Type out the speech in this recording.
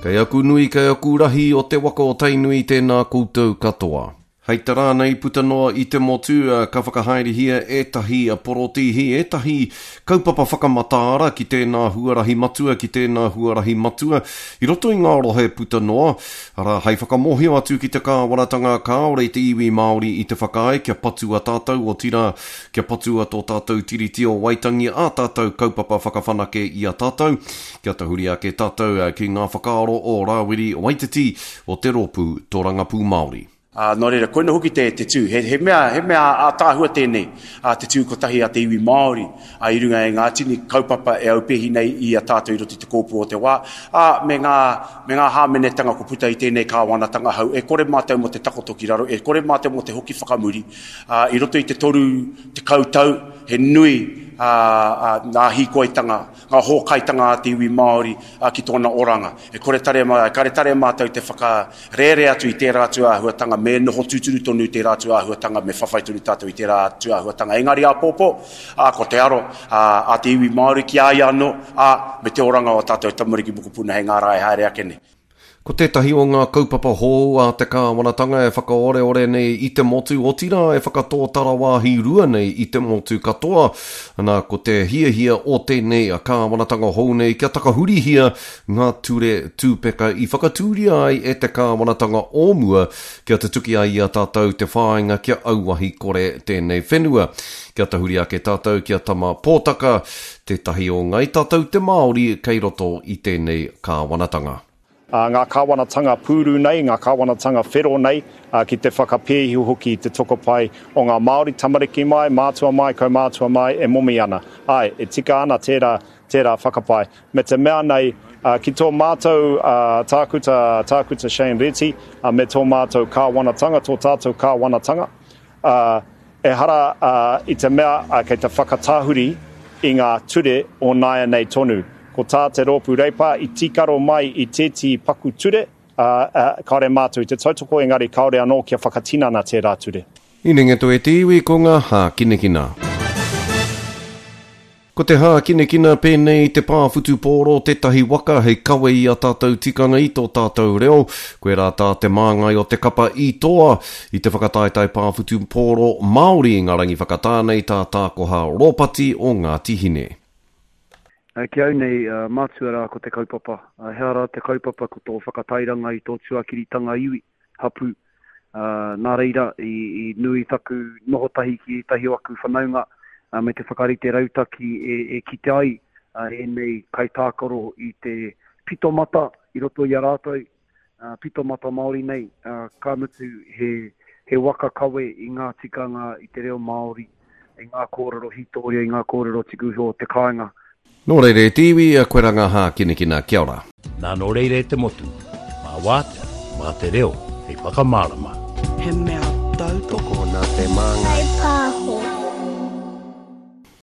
Kei aku nui, kei aku rahi o te waka o Tainui tēnā koutou katoa. Hei te rā nei puta noa i te motu ka whakahaerehia ētahi porotīhi, ētahi kaupapa whakamataara ki tēnā huarahi matua, ki tēnā huarahi matua i roto i ngā rohe puta noa, arā, hei whakamōhio atu ki te kāwanatanga kāore te iwi Māori i te whakaae kia patua tātou, otirā, kia patua tō tātou Tiriti o Waitangi, ā tātou kaupapa whakawhanake i a tātou. Kia tahuri ake tātou ki ngā whakaaro o Rāwiri Waititi o te Rōpū Tōrangapū Māori. Ā, nō reira, koina hoki te, te tū. He, he mea, he mea ātaahua tēnei, ā, te tū kotahi a te iwi Māori, ā, i runga i ngā tini kaupapa e aupēhi nei i a tātou i roto i te kōpū o te wā, ā, me ngā, me ngā hāmenetanga kua puta i tēnei kāwanatanga hou. E kore mātou mō te takoto ki raro, e kore mātou mō te hoki whakamuri, ā, i roto i te 30 tau, he nui, ā, ā, ngā hīkoitanga, ngā hōkaitanga a te iwi Māori ki tōna oranga. E kore tare, e kare tare mātou te whakarēre atu i tērā atu āhuatanga, me noho tūturu tonu tērā atu āhuatanga, me whawhai tonu tātou i tērā atu āhuatanga. Engari āpōpō, ā, ko te aro a te iwi Māori ki a ia anō, ā, me te oranga o ā tātou tamariki mokopuna hei ngā rā e haere ake nei. Ko tētahi o ngā kaupapa hou a te kāwanatanga e whakaoreore nei i te motu, otirā e whakatōtara wāhi rua nei i te motu katoa, ana ko te hiahia o tēnei kāwanatanga hou nei kia takahurihia ngā ture tūpeka i whakatūria ai e te kāwanatanga o mua kia tutuki ai i a tātou te whāinga kia auahi kore tēnei whenua. Kia tahuri ake tātou ki a Tama Pōtaka, tētahi o Ngai Tātou te Māori kei roto i tēnei kāwanatanga. Ngā kāwanatanga pūru nei, ngā kāwanatanga whero nei, ki te whakapēhi hoki i te tokopae o ngā Māori, tamariki mai, mātua mai, kaumātua mai, e momi ana. Āe, e tika ana tērā, tērā whakapae. Me te mea nei, ki tō mātou tākuta, Tākuta Shane Reti, me tō mātou kāwanatanga, tō tātou kāwanatanga, Ā, ehara i te mea kei te whakatahuri i ngā ture o nāianei tonu. Ko tā te Rōpū Reipa i tīkaro mai i tētehi paku ture, ā, kāore mātou i te tautoko, engari kāore anō kia whakatinana tērā ture. I Nengeto e te iwi ko ngā hākinakina. Ko te hākinakina pēnei i te pā whutupōro tētahi waka hei kawe i a tātou tikanga i tō tātou reo. Koirā tā te māngai o te kapa i toa i te whakataetae pā whutupōro Māori i ngā rangi whakatā nei tā Tākoha Rōpati o Ngāti Hine. Ki au nei, mātua rā ko te kaupapa. He aha rā te kaupapa ko tō whakatairanga i tō tuakiritanga iwi, hapū. Nā reira, i nui taku noho tahi ki ētahi o aku whanaunga me te whakarite rautaki e kite ai ēnei kaitākaro i te pito mata i roto i a rātou, pito mata Māori nei, ka mutu he waka kawe i ngā tikanga, i te reo Māori, i ngā kōrero hītōria, i ngā kōrero tuku iho o te kāinga. Nō reira e te iwi, koe ra ngā hākinakina, kia ora. Nā nō reira e te motu, mā wātea, mā te reo hei whakamārama. He mea tautoko. Tokona te māngai. Kai pāho.